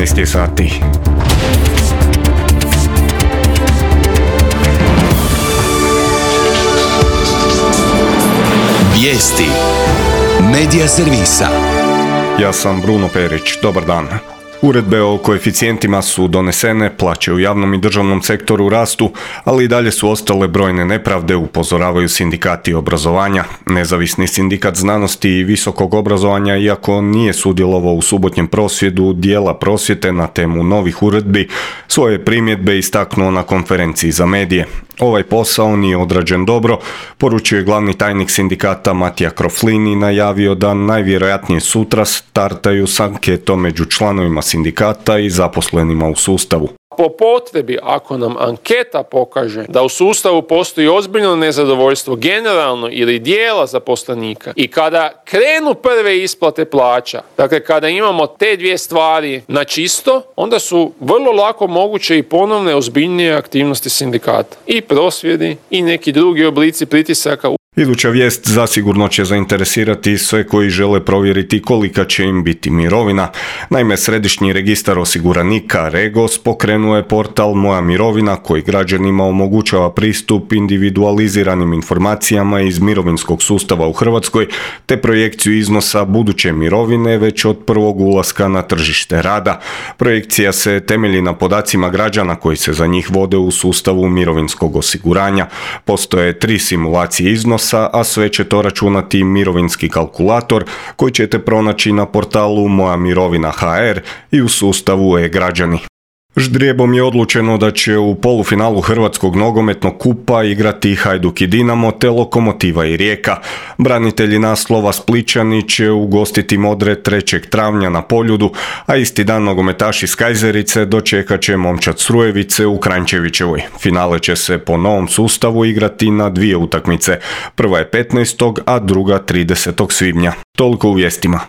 13 je sati. Vijesti Medija servisa. Ja sam Bruno Perić, dobar dan. Uredbe o koeficijentima su donesene, plaće u javnom i državnom sektoru rastu, ali i dalje su ostale brojne nepravde, upozoravaju sindikati obrazovanja. Nezavisni sindikat znanosti i visokog obrazovanja, iako nije sudjelovao u subotnjem prosvjedu dijela prosvjete na temu novih uredbi, svoje primjedbe istaknuo na konferenciji za medije. Ovaj posao nije odrađen dobro, poručio je glavni tajnik sindikata Matija Kroflin i najavio da najvjerojatnije sutra startaju s anketom među članovima sindikata i zaposlenima u sustavu. Po potrebi, ako nam anketa pokaže da u sustavu postoji ozbiljno nezadovoljstvo generalno ili dijela zaposlenika i kada krenu prve isplate plaća, dakle kada imamo te dvije stvari na čisto, onda su vrlo lako moguće i ponovne ozbiljnije aktivnosti sindikata. I prosvjedi i neki drugi oblici pritisaka. Iduća vijest zasigurno će zainteresirati sve koji žele provjeriti kolika će im biti mirovina. Naime, Središnji registar osiguranika REGOS pokrenuo je portal Moja mirovina koji građanima omogućava pristup individualiziranim informacijama iz mirovinskog sustava u Hrvatskoj te projekciju iznosa buduće mirovine već od prvog ulaska na tržište rada. Projekcija se temelji na podacima građana koji se za njih vode u sustavu mirovinskog osiguranja. Postoje 3 simulacije iznosa, a sve će to računati mirovinski kalkulator koji ćete pronaći na portalu Moja mirovina HR i u sustavu e-građani. Ždrijebom je odlučeno da će u polufinalu Hrvatskog nogometnog kupa igrati Hajduk i Dinamo te Lokomotiva i Rijeka. Branitelji naslova Splićani će ugostiti Modre 3. travnja na Poljudu, a isti dan nogometaši iz Kajzerice dočekat će Momčad Srujevice u Kranjčevićevoj. Finale će se po novom sustavu igrati na 2 utakmice. Prva je 15. a druga 30. svibnja. Toliko u vijestima.